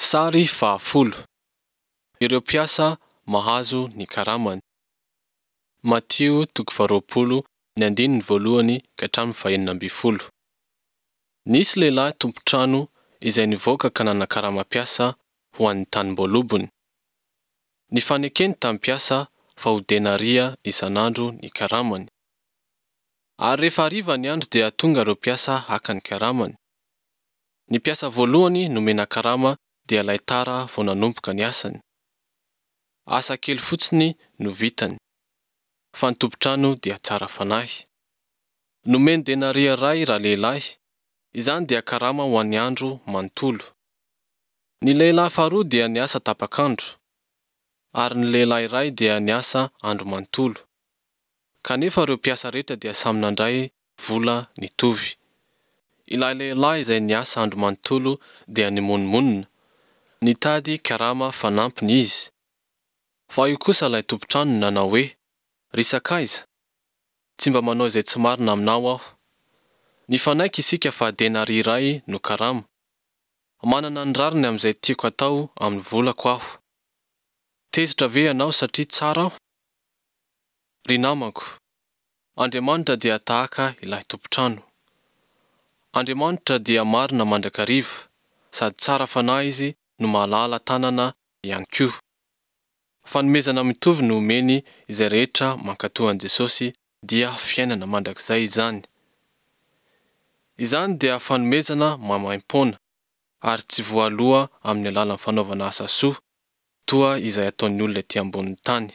Sary fahafolo. Ireo mpiasa mahazo ny karamany. Matio toko faharoapolo ny andininy voalohany ka hatramin'ny fahenina ambin'ny folo. Nisy lehilahy tompon-trano izay nivoaka ka nanakarama mpiasa ho an'ny tanimboalobony. Nifanekeny tamin'ny mpiasa fa ho denaria isan'andro ny karamany. Ary rehefa hariva ny andro dia tonga ireo mpiasa haka ny karamany. Ny mpiasa voalohany nomena karama dia ilay tara vao nanomboka ny asany. Asa kely fotsiny no vitany, fa ny tompon-trano dia tsara fanahy. Nomeny denaria iray ralehilahy, izany dia karama ho an'ny andro manontolo. Ny lehilahy faharoa dia niasa tapak'andro, ary ny lehilahy iray dia niasa andro manontolo. Kanefa ireo mpiasa rehetra dia samy nandray vola nitovy. Ilay lehilahy izay niasa andro manontolo dia nimonomonona, nitady karama fanampiny izy. Fa io kosa ilay tompon-trano nanao hoe, Ry sakaiza, tsy mba manao izay tsy marina aminao aho. Nifanaiky isika fa denaria iray no karama. Manana ny rariny amin'izay tiako atao amin'ny volako aho. Tezitra ve ianao satria tsara aho? Ry namako, Andriamanitra dia tahaka ilay tompon-trano. Andriamanitra dia marina mandrakariva, sady tsara fanahy Izy no mahalala tanana ihany koa. Fanomezana mitovy no omeny izay rehetra mankatò an'i Jesosy dia fiainana mandrakizay izany. Izany dia fanomezana maimaimpoana, ary tsy voaloa amin'ny alalan'ny fanaovana asa soa, toa izay ataon'ny olona ety ambonin'ny tany.